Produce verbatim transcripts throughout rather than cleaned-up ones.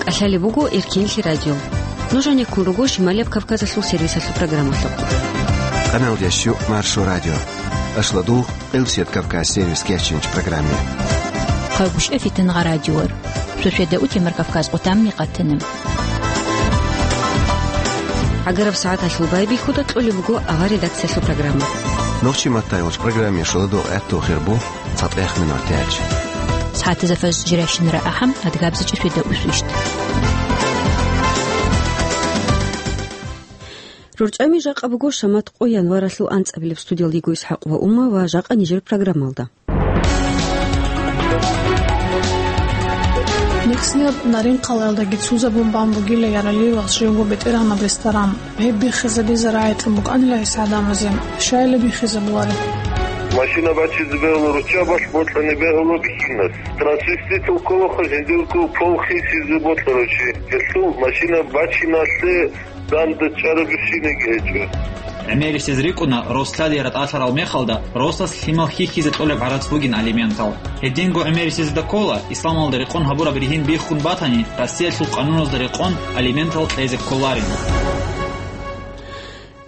ТӀалъалеб буго Эркенлъи радио. Нуж гьанеккун руго Шималияб Кавказалъул сервисалъул программалъухъ. Къаналдияс щук Маршо радио. Ашладугъ, Къилсият Кавказ сервис кечинч программе. Хъагушев Фитангъа радиор. Шошеда утемар Кавказ къутамни къатана. ГӀагараб сагӀаталъул байбихьуда кьолеб буго авар редакциялъул программа. Нохчи маттайгъуч программе шоладугъ гӀатту хирбу. ЦатӀехъ минуталъ. СагӀатазда фажр жирашин рагӀахъан, адгабзичӀеб шведа усвищт. РорчӀами жакъа буго шамат къо январалъул анцӀабилеб. Студиялда йиго ИсхӀакъ ва Ума ва жакъа нижер программалда. Нихснияб Нарин-къалаялдаги цузабун бан бугила Яралиевас живго бетӀергьанаб ресторан. Гьеб биххизабизе рагӀичӀун букӀанила гьес гӀадамазе. Щайила биххизабулареб? Машина бачизе бегьула, руччабалъ бокьани бегьула бихьинас. Трансвеститал кколаха жиндирго пол хисизе бокьарав чи. Гьелъул машина бачиналъе данда чӀарабищиниги гьечӀо. ГӀемерисез рикӀкӀуна, рос лъади ратӀалъарал мехалда росас лъимал хьихьизе кьолеб гӀарац бугин алиментал. Гьединго гӀемерисезда ккола, исламалда рекъон гьабураб ригьин биххун батани, Россиялъул къануназда рекъон алиментал кьезе кколарин.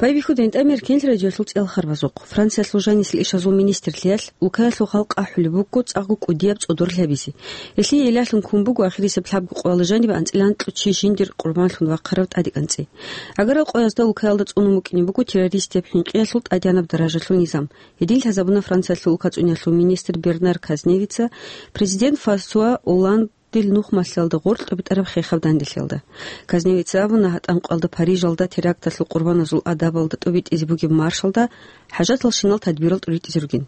Байбихьуда гьитӀамир кенлъи радиоялъул цӀел харбазухъ. Франциялъул жанисел ишазул министрлъиялъ улкаялъул халкъ ахӀулеб буго цӀакъго кӀудияб цӀодор лъабизе. Гьелъие илалъун ккун буго ахирисеб лъабго къоялда жанибе анцӀила анкьго чи жиндир къурбанлъун вахъараб тӀадекӀанцӀи. ГӀагарал къоязда улкаялда цӀунун букӀине буго террористияб хӀинкъиялъул тӀадегӀанаб даражалъул низам. Гьедин лъазабуна Франциялъул улкацӀунялъул министр Бернар Казневица президент Франсуа Олландил нухмалъиялда гъоркь тӀубитӀараб хехаб данделъиялда. Казневица абуна, гьатӀан къоялда Парижалда теракталъул къурбаназул адабалда тӀубитӀизе бугеб маршалда хӀажаталщинал тадбирал тӀуритӀизе ругин.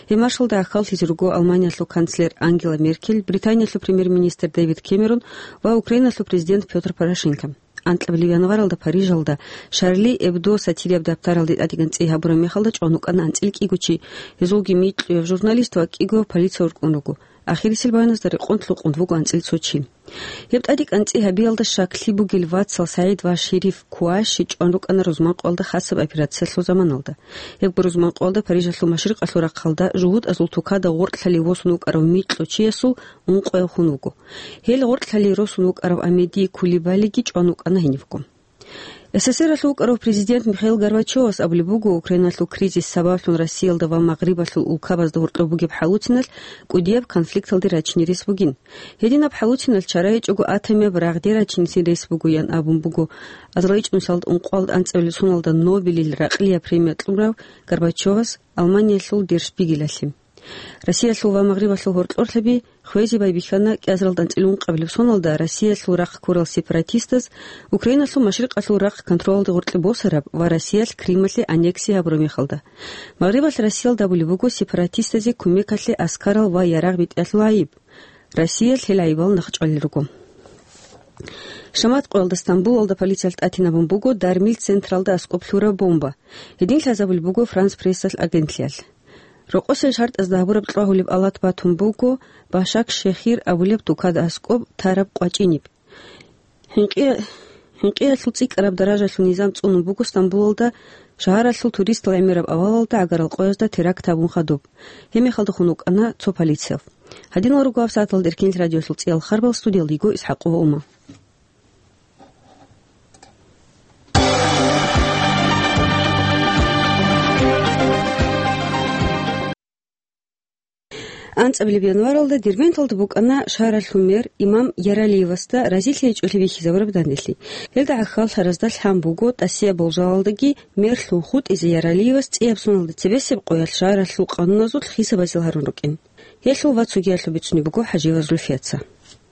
Гьеб маршалда гӀахьаллъизе руго Алманиялъул канцлер Ангела Меркель, Британиялъул премьер-министр Дэвид Кэмерон ва Украиналъул президент Пётр Порошенко. Анкьабилеб январалда Парижалда Шарли Эбдо сатирияб даптаралде тӀадегӀанцӀи гьабураб мехалда чӀван вукӀана анцӀила кӀиго чи, гьезулги микьуяб журналист ва кӀиго полиция уркӀун руго. Ахирисел баяназда рекъон лъукъун вуго анцӀила цо чи. Гьеб тӀадекӀанцӀи гьабиялда щаклъи бугел вацал СагӀид ва Шериф Куаши чӀван рукӀана рузман къоялда хасаб операциялъул заманалда. Гьебго рузман къоялда Парижалъул машрикъалъул рахъалда жугьутӀазул тукада гъоркьлъали восун вукӀарав микьу чиясул ункъояв хун вуго. Гьел гъоркьлъали росун вукӀарав Амеди Кулибалиги чӀван вукӀана гьенивго. СССР-алъул вукӀарав президент Михаил Горбачевас абулеб буго, Украиналъул кризис сабаблъун Россиялда ва Магърибалъул улкабазда гьоркьоб бугеб хӀалуциналъ кӀудияб конфликталде рачине рес бугин. Гьединаб хӀалуциналъ чара гьечӀого атомияб рагъде рачинецин рес бугоян абун буго азарилчӀун лъалд ункъоялда анцӀабилеб соналда Нобелил ракълияб премия кьурав Горбачевас Алманиялъул Дершпигелалъе. Россиялъул ва Магърибалъул гьоркьорлъаби хвезе байбихьана кӀиазаралда анцӀила ункъабилеб соналда Россиялъул рахъ ккурал сепаратистаз Украиналъул машрикъалъул рахъ контролалде гъоркье босараб ва Россиялъ Крималъе аннексия гьабураб мехалда. Магърибалъ Россиялда абулеб буго сепаратистазе кумекалъе аскарал ва ярагъ битӀиялъул гӀайиб. Россиялъ гьел гӀайибал нахъчӀвалел руго. Шамат къоялда Стамбулалда полициялъ тӀатинабун буго дармил централда аскӀоб лъураб бомба. Гьедин лъазабулеб буго Франс Прессалъ агентлъиялъ. Рокъосел шартӀазда гьабураб кьвагьулеб алат батун буго Башак-Шехир абулеб тукада аскӀоб тараб къвачӀиниб. ХӀинкъи-, хӀинкъиялъул цӀикӀкӀараб даражалъул низам цӀунун буго Стамбулалда шагьаралъул туристал гӀемераб авалалда гӀагарал къоязда теракт гьабун хадуб. Гьеб мехалда хун вукӀана цо полициялъ. Гьадинал руго гьаб сагӀаталда Эркенлъи радиоялъул цӀиял харбал, студиялда йиго ИсхӀакъ ва Ума. АнцӀабилеб январалда Дербенталда букӀана шагьаралъул мэр Имам Яралиевасда разилъи гьечӀолъи бихьизабураб данделъи. Гьелда гӀахьаллъаразда лъан буго, тӀасияб болжалалдаги мерлъун хутӀизе Яралиевас цӀияб соналда цебесеб къоялъ шагьаралъул къануназулъ хисабазил гьарун рукӀин. Гьелъул ва цогиялъул бицунеб буго ХӀажиева Зульфияца.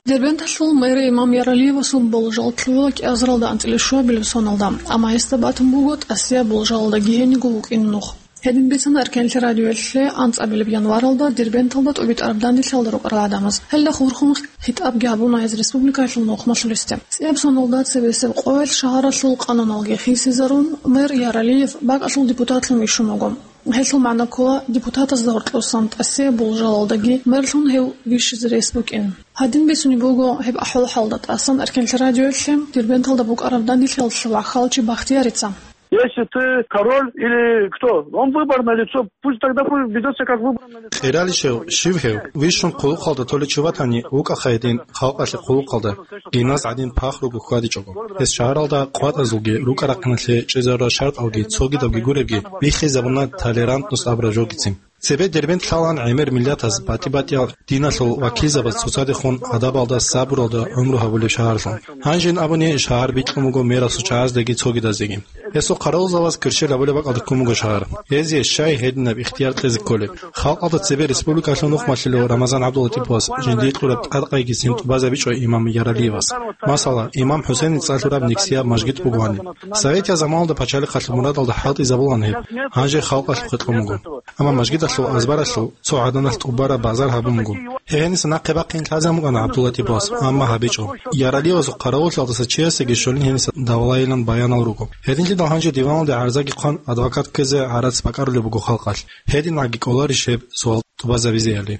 Дербенталъул мэр Имам Яралиевасул болжал лъугӀула кӀиазаралда анцӀила щуабилеб соналда, амма гьесда батун буго тӀасияб болжалалдаги гьениго вукӀин нух. Гьедин бицана Эркенлъи радиоялъе анцӀабилеб январалда Дербенталда тӀубитӀараб данделъиялда рукӀарал гӀадамаз. Гьелда хурхун хитӀабги гьабуна гьез республикаялъул нухмалъулесде. ЦӀияб соналда цебесеб къоялъ шагьаралъул къануналги хисизарун, мэр Яралиев бакӀалъул депутатлъун вищун вуго. Гьелъул магӀна ккола депутатазда гьоркьосан тӀасияб болжалалдаги мерлъун гьев вищизе рес букӀин. Гьадин бицунеб буго гьеб ахӀвал-хӀалда тӀасан Эркенлъи радиоялъе Дербенталда букӀараб данделъиялъул ваххалчи Бахтиярица. Если ты король или кто, он выборное лицо, пусть тогда пусть ведёт себя как выборное лицо. Къиралищев, щив гьев, вищун хъулухъалда толичи ватани, вукӀаха гьедин халкъалъе хъулухъалда, гьенас гӀадин пахруго хьвадичӀого. Гьес шагьаралда къватӀазулги, рукӀа-рахъиналъе чӀезарурал шартӀалги, цогидабги гуребги, биххизабуна толерантность абураб жогицин. Цебе Дербент лъалаан гӀемер миллатаз, батӀи-батӀиял диналъул вакилзабаз цоцадехун гӀадабалда сабуралда гӀумру гьабулеб шагьарлъун. Гьанжин абуни, шагьар бикьун буго мерасул чагӀаздеги цогидазеги. Гьесул хъаравулзабаз кверщел гьабулеб бакӀалда ккун буго шагьар. Гьезие щай гьединаб ихтияр кьезе кколеб? Халкъалда цебе республикалъул нух малъулев Рамазан ГӀабдулатиповас жиндие кьураб тӀадкъайгицин тӀубазабичӀо имам Яралиевас. Масала, имам ХӀусейница лъураб нексияб мажгит бугоани. Советияб заманалда пачалихъалъул мурадалда хӀалтӀизабулаан гьеб, гьанже халкъалъухъе кьун буго. Амма мажгидалъул азбаралъул цо гӀаданалъ тӀубараб базар гьабун буго. Гьеб гьениса нахъе бахъин лъазабун букӀана ГӀабдулатиповас, амма гьабичӀо. Яралиевасул хъаравуллъиялдаса чиясеги щолин гьениса давлайилан баянал руго. Гьединлъидал гьанже диваналде гӀарзаги хъван, адвокат ккезе гӀарац бакӀарулеб буго халкъалъ. ГьединагӀаги кӀоларищ гьеб суал тӀубазабизе гьали?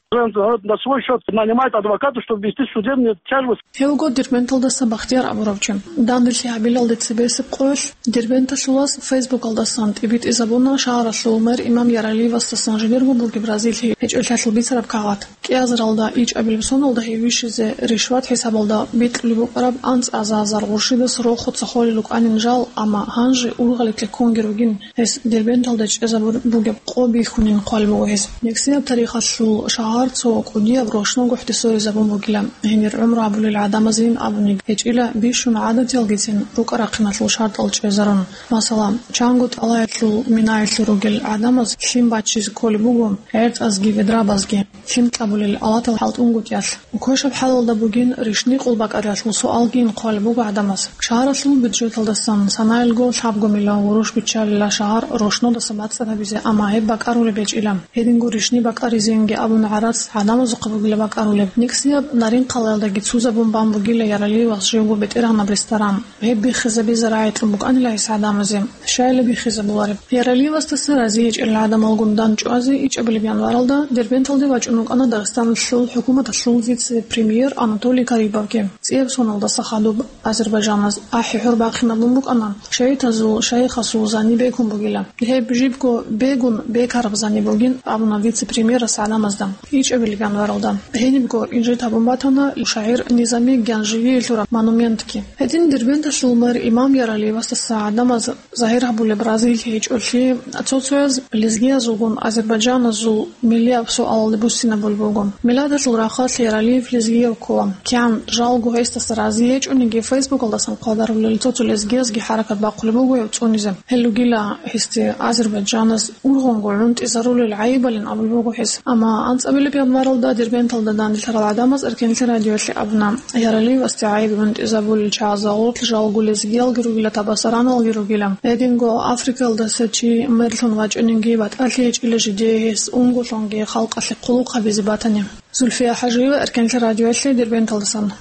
На свой счёт нанимает адвоката, чтобы вести судебные тяжбы. Гьев вуго Дербенталдаса Бахтияр абурав чи. Данделъи гьабилалде цебесеб къоялъ Дербенталъулас Фейсбукалдасан тӀибитӀизабуна шагьаралъул мэр имам Яралиевасдасан жидерго бугеб разилъи гьечӀолъиялъул бицараб кагъат. КӀиазаралда ичӀабилеб соналда гьев вищизе ришват хӀисабалда бикьулеб букӀараб анцӀазазар гъуршидас рохуца холел рукӀанин жал, амма гьанже ургъалилъе ккунги ругин. Гьес Дербенталда чӀезабун бугеб къо бихьунин хъвалеб буго гьес. Нексияб тарихалъул шагьар цо кӀудияб рошногохӀде соризабун бугила, гьенир гӀумру гьабулел гӀадамазейин абуни гьечӀила, бищун гӀадатиялгицин рукӀа-рахъиналъул шартӀал чӀезарун. Масала, чанго тӀалаялъул минаялъур ругел гӀадамаз лъим баччизе кколеб буго, гӀертӀазги ведрабазги. Лъим кьабулел алатал хӀалтӀунгутӀиялъ. Квешаб хӀалалда бугин ришни къулбакӀаралъул суалгин хъвалеб буго гӀадамаз. Шагьаралъул бюджеталдасан санаялго лъабго миллион гъурущ биччалила шагьар рошнодаса бацӀцӀад гьабизе, амма гьеб бакӀарулеб гьечӀила. Гьединго ришни бакӀаризейинги абун гӀарац гӀадамазухъа бугила бакӀарулеб. Никсияб Нарин-къалаялдаги цузабун бан бугила Яралиевас живго бетӀергьанаб ресторан. Гьеб биххизабизе рагӀи кьун букӀанила гьес гӀадамазе. Щайила биххизабулареб? Яралиевасдаса разиячӀел гӀадамалгун дандчӀвазе ичӀабилеб январалда Дербенталде вачӀун вукӀана Дагъистаналъул хӀукуматалъул вице-премьер Анатолий Карибовги. ЦӀияб соналдаса хадуб Азербайджаназ ахӀи-хӀур бахъинабун букӀана шагьитазул, шайихасул зани бекун бугила. Гьеб жибго бегун бекараб зани бугин абуна вице-премьерас гӀадамазда. ИчӀабилеб январалда гьенибго инжит гьабун батана шагьир Низами Гянжевиялъул монументги. Гьедин Дербенталъул мэр имам Яралиевасдаса гӀадамаз загьир гьабулеб разилъи гьечӀолъи, цо-цояз лезгиязулгун азербайджаназул миллияб суалалде буссинабулеб буго. Миладалъул рахъалъ Яралиев лезгияв ккола. КигӀан жалго гьесдаса рази гьечӀониги, Фейсбукалдасан хъвадарулел цо-цо лезгиязги хӀаракат бахъулеб буго гьев цӀунизе. Гьел ругила гьесде Азербайджанас ургъунго гӀунтӀизарулел гӀайибалин абулеб буго гьес. Амма анцӀабилеб январалда Дербенталда данделъарал гӀадамаз Эркенлъи радиоялъе абуна, Яралиевасде гӀайиб гӀунтӀизабулел чагӀазда гъорлъ жалго лезгиялги ругила, табасараналги ругила. Гьединго Африкаялдаса чи мерлъун вачӀаниги, батӀалъи гьечӀила жидее гьес унголъунги халкъалъе хъулухъ гьабизе батани. Зульфия ХӀажиева, Эркенлъи радиоялъе, Дербенталдасан.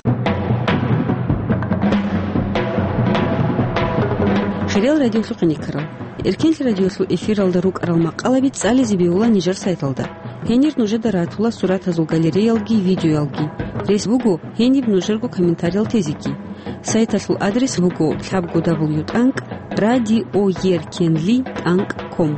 Хириял радиолъухъ гӀенеккарал. Эркенлъи радиолъул эфиралда рукӀарал макъалаби цӀализе бегьула нижер сайталда. Гьенир нужеда ратула суратазул галереялги видеоялги. Рес буго гьениб нужерго комментариял тезеги. Сайталъул адрес буго лъабго дабл ю тӀанкӀ радиоеркенли тӀанкӀ ком.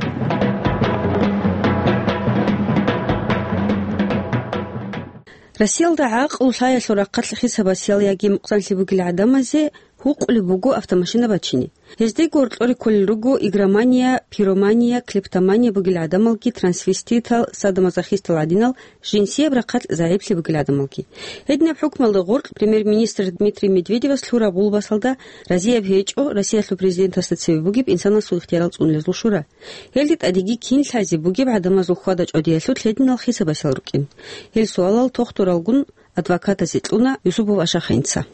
Россиялда гӀакълу лъаялъул рахъалъ хисабасиял яги мукъзанлъи бугел гӀадамазе гьукъулеб буго автомашина бачине. Гьездего гьоркьоре кколел руго игромания, пиромания, клептомания бугел гӀадамалги, трансвеститал, садомазохистал гӀадинал, жинсияб рахъалъ загӀиплъи бугел гӀадамалги. Гьединаб хӀукмалда гъоркь премьер-министр Дмитрий Медведевас лъураб гъулбасалда разияб гьечӀо Россиялъул президентасда цеве бугеб инсанасул ихтиярал цӀунулезул шура. Гьелде тӀадеги кин лъазе бугеб гӀадамазул хьвада-чӀвадиялъулъ гьединал хисабасиял рукӀин. Гьел суалал тохтуралгун адвокатазе кьуна Юсупов Ашахинца.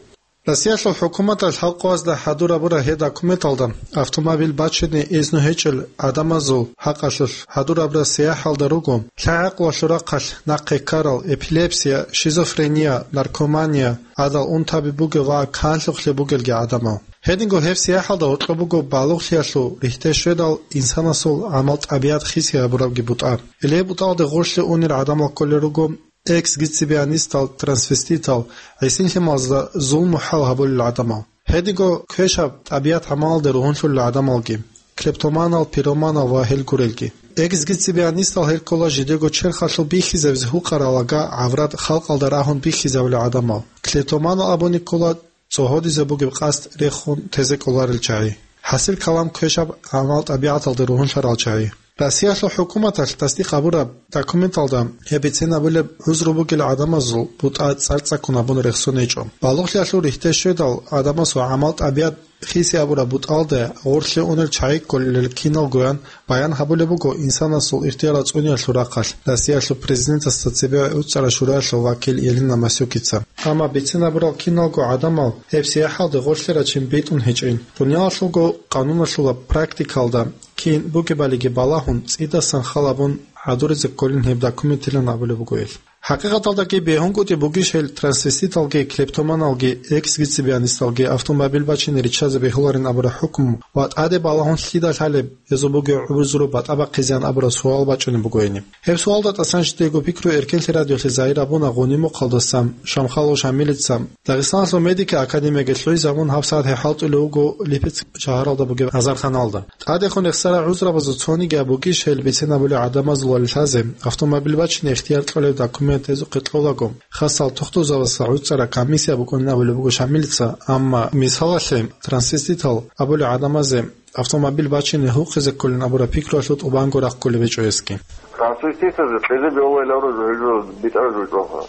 Россиялъул хӀукуматалъ халкъазда хӀадурабура гьеб документалда автомобиль бачине изну гьечӀел гӀадамазул хӀакъалъулъ хӀадурабура сияхӀалда руго, лъагӀакълуялъул рахъалъ нахъе ккарал, эпилепсия, шизофрения, наркомания, гӀадал унтаби бугел ва канлъухълъи бугелги гӀадамал. Гьединго гьеб сияхӀалда гьоркьоб буго балугълъиялъул рихьде щведал инсанасул гӀамал-тӀабигӀат хиси гьабурабги бутӀа. Гьеле бутӀалде гъорлъе унел гӀадамал кколел руго эксгибиционистал, трансвеститал, гӀисинлъималазда зулму-хӀал гьабулел гӀадамал. Гьединго квешаб тӀабигӀат-гӀамалалде ругьунлъулел гӀадамалги. клептоманал, пироманал ва гьел гурелги. Эксгибиционистал гьел ккола жидего черхалъул бихьизабизе гьукъарал лага, гӀаврат, халкъалда рагьун бихьизабулел гӀадамал. Клептоманал абуни ккола цӀогьодизе бугеб къасд рехун тезе кӀоларел чагӀи, хӀасил калам квешаб гӀамал-тӀабигӀаталда ругьунлъарал чагӀи. Россиялъул хӀукуматалъ тасдикъ гьабураб документалда гьеб бицен абулеб гӀузру бугел гӀадамазул бутӀа цӀар-цӀаккун абун рехсон гьечӀо. Балугълъиялъул рихьде щведал, гӀадамасул гӀамал-тӀабигӀат хиси абураб бутӀалда гъорлъе унел чагӀи кколел киналгоян баян гьабулеб буго инсанасул ихтияр цӀуниялъул рахъалъ Россиялъул президентасда цебе ГӀуцӀарал шураялъул вакил Елена Масюкица. Амма бицен абурал киналго гӀадамал гьеб сияхӀалде гъорлъе рачин битӀун гьечӀин. Дуниялалъулго къануналъула практикалда кин бугебалиги балагьун, цӀидасан хал абун гӀадуризе кколин гьеб документилан абулеб буго гьел. ХӀакъикъаталдаги бегьунгутӀи бугищ гьел трансвеститалги, клептоманалги, эксгибиционисталги автомобиль бачине риччазе бегьуларин абураб хӀукму ва тӀаде балагьун лъида лъалеб, гьезул бугеб гӀузру батӀа бахъизеян абураб суал бачӀунеб буго гьениб. Гьеб суалда тӀасан жидего пикру Эркенлъи радиолъе загьир абуна Гъуни-Мухъалдасан Шамхалов Шамилица. Дагъистаналъул медикал академиялъ гӀезабун гьабсагӀат гьеб хӀалтӀулев вуго Липецк шагьаралда бугеб азарханалда. ТӀадехун рехсарал гӀузрабазул цониги абугищ гьел бицен абулел гӀадамазул валилъазе, автомобиль бачине ихтияр кьолеб документ гьезухъе кьолаго, хасал тухтурзабазда гӀуцӀараб комиссия букӀунин абулеб буго Шамилица, амма мисалалъе, трансвеститал абулел гӀадамазе автомобиль бачине гьукъизе кколин абураб пикруялъул тӀубанго рахъ кколеб гьечӀо гьесги. Трансвеститазе кьезе бегьуларин абураб жо гьезул битӀараб жо чӀваха.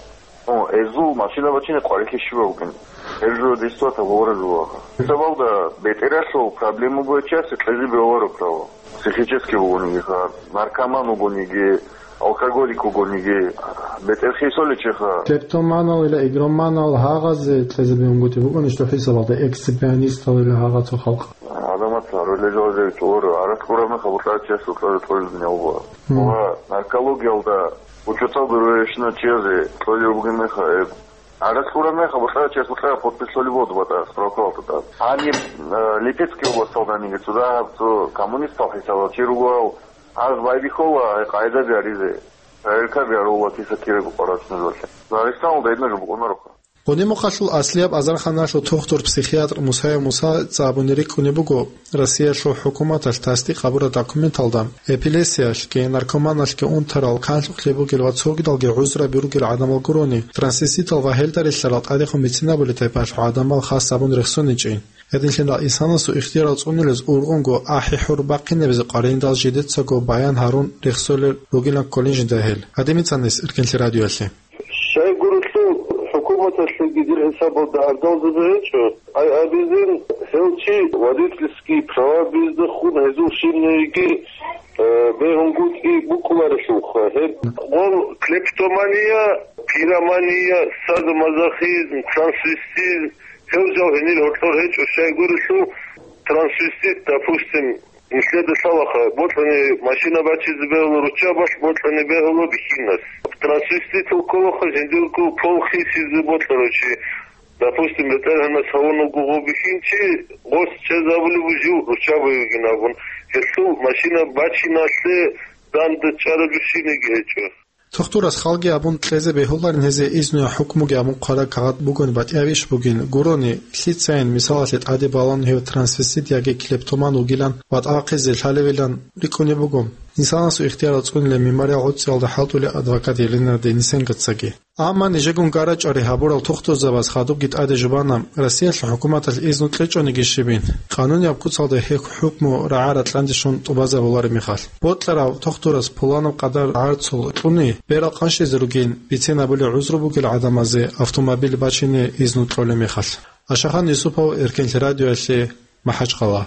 О, гьезул машина бачине къварилъи щибаб бугин. Гьеб жо дистватаб гьавара жо ваха. Гьесабалда бетӀералъул проблема бугев чиясе кьезе бегьуларо право. Психический вугониги ха, наркоман вугониги, алкоголик вугониги, бетӀер хисоличи ха. Клептоманал ила игроманал гьагъазе кьезе бегьунгутӀи бугони, что хӀисабалда эксгибиционистал ила гьагъа цо халкъ. Адамат гьарулел жозе чӀолоро, арат кьураб меха бутӀа чияс бутӀа тӀолеб дунял буа. Мгм. Ва наркологиялда учетал дурвешна чиязе тӀолеб бугеб меха, э, Гьаракь кьураб мехалъ, бутӀа чияс бутӀа подпись лъолеб буго батӀа справкалда тӀад. Гьаниб, э, Липецкий областалданиги цо дагьаб цо коммунистал хӀисабал чи ругоал, гьаз байбихьула гьай къагӀидаби гьаризе, проверкаби гьарула киса ккераго къварачӀунелъе. Дагъистаналда гьединаб жо букӀунарухъа. Гъуни-Мухъалъул аслияб азарханалъул тухтур-психиатр Мусаев Муса цӀа абуни рикӀкӀунеб буго, Россиялъул хӀукуматалъ тасдикъ гьабураб документалда эпилепсиялъги, наркоманалъги унтарал, канлъухълъи бугел ва цогидалги гӀузраби ругел гӀадамал гурони, трансвеститал ва гьелда релълъарал тӀадехун бицинабулел тайпалъул гӀадамал хас абун рехсоничӀин. Гьединлъидал инсанасул ихтиярал цӀунилез ургъунго ахӀи-хӀур бахъинабизе къваригӀиндал жидецаго баян гьарун рехсолел ругилан кколин жинда гьел. Гьадинаб бицанис Эркенлъи радиоялъе. Щайгурелъул хӀукуматалъеги дир хӀисабалда гӀардалзаби гьечӀо, ай абизин, гьев чи водительский права бездехун гьезул щибниги, э, бегьунгутӀи букӀуларелъулха. Гьеб гъол клептомания, пиромания, садомазохизм, трансвестизм, гьев жал гьенир гьоркьор гьечӀо, щайгурелъул трансвестит, допустим, Нилъеда лъалаха, бокьани машина бачизе бегьула руччабалъ, бокьани бегьула бихьинас. Трансвеститал кколаха жиндирго пол хисизе бокьарав чи. Допустим, бетӀергьанас гьавун вуго гъов бихьинчи, гъос чӀезабулеб жив руччабайилан абун, гьелъул машина бачиналъе данде чӀараб жо щибниги гьечӀо. Тухтурас халги абун кьезе бегьуларин гьезие изнуя хӀукмуги абун хъвараб кагъат бугони батӀиябищ бугин гурони, лъицайин, мисалалъе, тӀаде балан гьев трансвестит яги клептоман вугилан ва тӀахъизе лъалевилан рикӀкӀунеб буго. Инсанасул ихтиярал цӀунилан мемориал гӀуцӀиялда хӀалтӀулев адвокат Елена Денисенкоцаги. Амма нижегун гарачӀари гьабурал тухтурзабаз хадубги тӀаде жубана, Россиялъул хӀукуматалъ изну кьечӀониги щибин, къанунияб куцалда гьеб хӀукму рагӀа-ракьанде щун тӀубазабулареб мехалъ. Бокьарав тухтурас пуланаб къадар гӀарцул кьуни, берал къанщизе ругин, бицен абулеб гӀузру бугел гӀадамазе автомобиль бачине изну кьолеб мехалъ. Ашахан Юсупов, Эркенлъи радиоялъе, МахӀачхъала.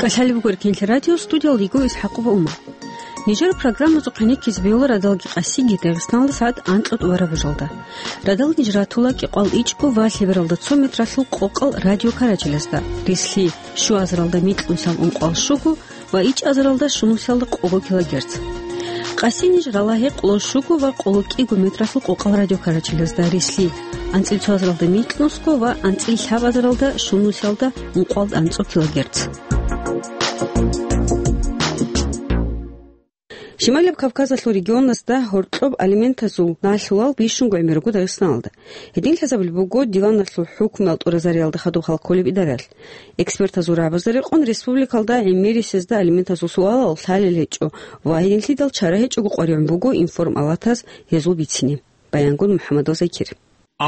КӀалъалеб буго Эркенлъи радио, студиялда йиго ИсхӀакъова Умар. Нижер программазухъе нехъизе бегьула радалги къасиги Дагъистаналда сагӀат анкьа тӀубараб бажалда. Радал ниж ратула кӀикъвал ичӀго ва лъебералда цо метралъул къокъал радиокарачелазда, рислъи, щуазаралда микьнусиялда ункъвал щуго ва ичӀазаралда щунусиялда къого килогерц. Къаси ниж рала гьекъоло щуго ва къоло кӀиго метралъул къокъал радиокарачелазда, рислъи, анцӀил цоазаралда микьнусго ва анцӀил лъабазаралда щунусиялда ункъвал анцӀо килогерц. Шималияб Кавказалъул регионазда гьоркьоб алиментазул налъулал бищунго гӀемер руго Дагъистаналда. Гьедин лъазабулеб буго диваналъул хӀукмуял тӀуразариялда хадуб хал кколеб идараялъ. Экспертазул рагӀабазда рекъон республикалда гӀемерисезда алиментазул суалал лъалел гьечӀо ва гьединлъидал чара гьечӀого къваригӀун буго информалатаз гьезул бицине. Баянгун МухӀаммадов Закир.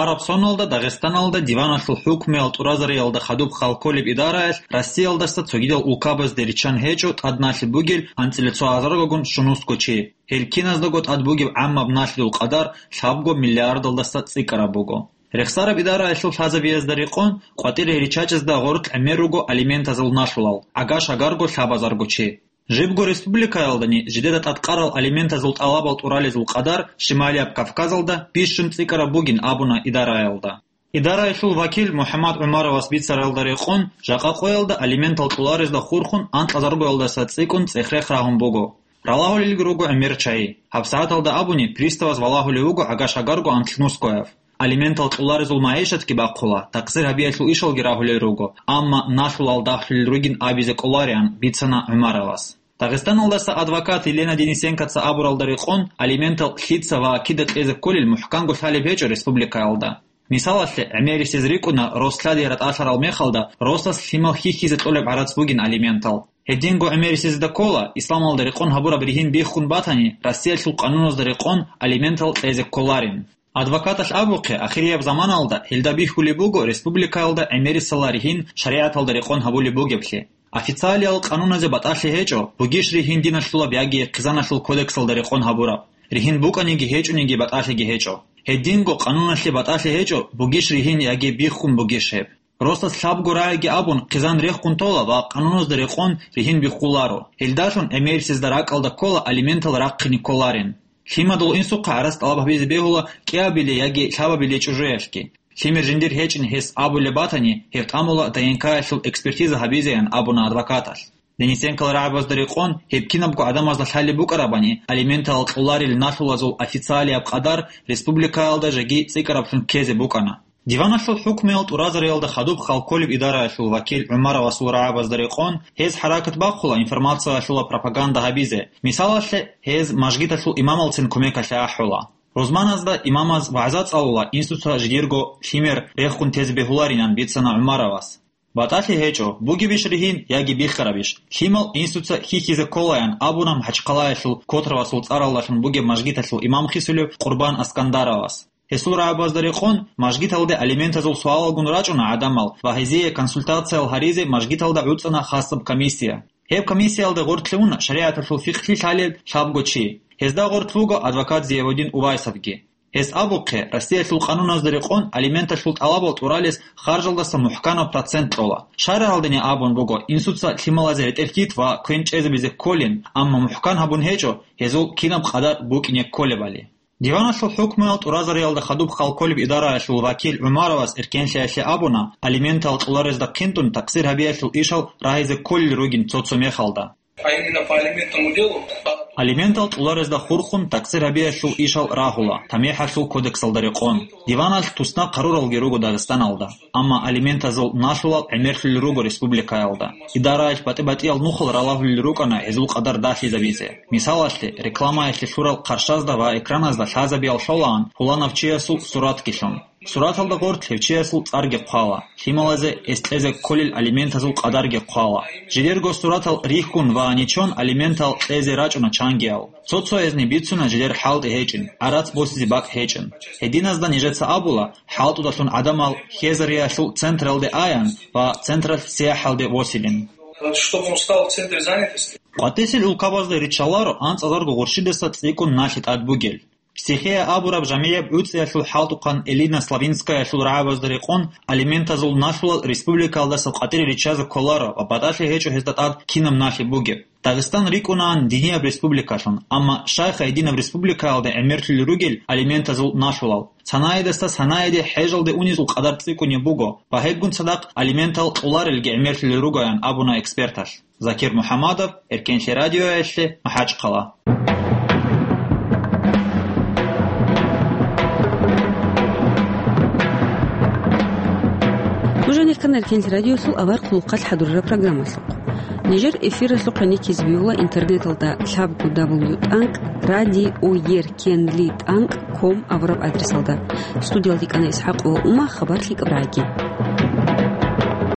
Араб соналда Дагъистаналда диваналъул хӀукмуял тӀуразариялда хадуб хал кколеб идараялъ Россиялдаса цогидал улкабазде риччан гьечӀо тӀад налъи бугел анцӀила цо гьазаргагун щунусго чи. Гьел киназдаго тӀад бугеб гӀаммаб налъидул къадар лъабго миллиардалдаса цӀикӀкӀараб буго. Рехсараб идараялъул лъазабиязда рекъон, къватӀире риччачӀезда гъоркь гӀемер руго алиментазул налъулал, гӀага-шагарго лъабазарго чи. Жибго республикаялдани жидеда тӀадкъарал алиментазул тӀалабал тӀуралезул къадар Шималияб Кавказалда бищун цӀикӀкӀараб бугин абуна идараялда. Идараялъул вакил МухӀаммад ГӀумаровас бицаралда рекъон, жакъа къоялда алиментал кьоларезда хурхун анкьазаргоялдаса цӀикӀкӀун цӀех-рех рагьун буго. Ралагьулелги руго гӀемер чагьи. ГьабсагӀаталда абуни, приставас валагьулев вуго гӀага-шагарго анлънускояв. Алиментал кьоларезул магӀишатги бахъула, такъсир гьабиялъул ишалги рагьулел руго, амма налъулал дагьлъулел ругин абизе кӀолариан, бицана ГӀумаровас. Дагъистаналдаса адвокат Елена Денисенкоца абуралда рекъон, алиментал лъица ва кида кьезе кколел мухӀканго лъалеб гьечӀо республикаялда. Мисалалъе, гӀемерисез рикӀкӀуна рос лъади ратӀалъарал мехалда росас лъимал хьихьизе кьолеб гӀарац бугин алиментал. Гьединго гӀемерисезда ккола исламалда рекъон гьабураб ригьин биххун батани, Россиялъул къануназда рекъон алиментал кьезе кколарин. Адвокаталъ абухъе, ахирияб заманалда гьелда бихьулеб буго республикаялда гӀемерисала ригьин шаригӀаталда рекъон гьабулеб бугеблъи. Официалиял къануназе батӀалъи гьечӀо, бугищ ригьин диналъулаб яги хъизаналъул кодексалда рекъон гьабураб. Ригьин букӀаниги гьечӀониги батӀалъиги гьечӀо. Гьединго къануналъе батӀалъи гьечӀо, бугищ ригьин яги биххун бугищ гьеб. Росас лъабго рагӀиги абун, хъизан рехун тола ва къануназда рекъон ригьин биххуларо. Гьелдалъун гӀемерисезда ракӀалда ккола алиментал рахъине кколарин. Лъимадул инсухъа гӀарац тӀалаб гьабизе бегьула кӀиабилей яги лъабабилей чӀужуялъги. Лъимер жиндир гьечӀин гьес абулеб батани, гьеб тӀамула ДНК-ялъул экспертиза гьабизеян, абуна адвокаталъ. Денисенкал рагӀабазда рекъон, гьеб кинабго гӀадамазда лъалеб букӀарабани, алиментал кьоларел налъулазул официалияб къадар республикаялда жеги цӀикӀкӀараблъун ккезе букӀана. Диваналъул хӀукмуял тӀуразариялда хадуб хал кколеб идараялъул вакил ГӀумаровасул рагӀабазда рекъон, гьез хӀаракат бахъула информациялъула пропаганда гьабизе. Мисалалъе, гьез мажгиталъул имамалцин кумекалъе ахӀула. Рузманазда имамаз вагӀза цӀалула, инсуца жидерго лъимер рехун тезе бегьуларинан, бицана ГӀумаровас. БатӀалъи гьечӀо, бугебищ ригьин яги биххарабищ. Лъимал инсуца хьихьизе кколаян, абуна МахӀачхъалаялъул Котровасул цӀаралдалъун бугеб мажгиталъул имам хисулев Къурбан Аскандаровас. Гьесул рагӀабазда рекъон, мажгиталде алиментазул суалалгун рачӀуна гӀадамал ва гьезие консультациял гьаризе мажгиталда гӀуцӀана хасаб комиссия. Гьеб комиссиялда гъоркьлъи уна шаригӀаталъул фикълъи лъалел лъабго чи. Гьезда гъоркь вуго адвокат Зиявудин Увайсовги. Гьес абухъе, Россиялъул къануназда рекъон алименталъул тӀалабал тӀуралес харжалдаса мухӀканаб процент кьола. ШаргӀалдани абун буго, инсуца лъималазе ретӀел хьит ва квен чӀезабизе кколин, амма мухӀкан гьабун гьечӀо гьезул кинаб къадар букӀине кколебали. Диваналъул хӀукмуял тӀуразариялда хадуб хал кколеб идараялъул вакил ГӀумаровас эркенлъиялъе абуна, алиментал кьоларезда хъинтӀун такъсир гьабиялъул ишал рагьизе кколел ругин цо-цо мехалда. А именно по алиментному делу? Алиментал кьоларезда хурхун такъсир гьабиялъул ишал рагьула, ТамихӀалъул кодексалда рекъон. Диваналъ туснахъ гьаруралги руго Дагъистаналда. Амма алиментазул налъулал гӀемерлъулел руго республикаялда. Идараялъ батӀи-батӀиял нухал ралагьулел рукӀана гьезул къадар дагьлъизабизе. Мисалалъе, рекламаялъе лъурал хъарщазда ва экраназда лъазабиял лъолаан пуланав чиясул суратги лъун. Сураталда гъоркь гьев чиясул цӀарги хъвала, лъималазе гьес кьезе кколел алиментазул къадарги хъвала. Жидерго суратал рихьун ва нечон алиментал кьезе рачӀуна чангиял. Цо-цоязни бицуна жидер хӀалтӀи гьечӀин, гӀарац босизе бакӀ гьечӀин. Гьединазда нижеца абула, хӀалтӀудалъун гӀадамал хьезариялъул централде аян ва централъ сияхӀалде восилин. Чтобы он стал в центре занятости. КъватӀисел улкабазда риччаларо анцӀазарго гъурщидаса цӀикӀкӀун налъи тӀад бугел. Психея абураб жамигӀяб гӀуцӀиялъул хӀалтӀухъан Элина Славинскаялъул рагӀабазда рекъон алиментазул налъулал республикаялдаса къватӀире риччазе кколаро ва батӀалъи гьечӀо гьезда тӀад кинаб налъи бугеб. Дагъистан рикӀкӀунаан динияб республикалъун, амма щайха гьединаб республикаялда гӀемерлъулел ругел алиментазул налъулал? Цанаидаса цанаиде хӀежалде унезул къадар цӀикӀкӀунеб буго ва гьебгун цадахъ алиментал кьоларелги гӀемерлъулел ругоян абуна эксперталъ. Закир МухӀаммадов, Эркенлъи радиоялъе, МахӀачхъала. Нуж гьанир ккана Эркенлъи радиолъул авар хъулухъалъ хӀадурараб программалъухъ. Нижер эфиралъухъ гьаниккизе бегьула интернеталда лъабго дабл ю тӀанкӀ, радиоер кенли тӀанкӀ ком абураб адресалда. Студиялда ккана ИсхӀакъ ва Ума, хабар лъикӀаб рагьги.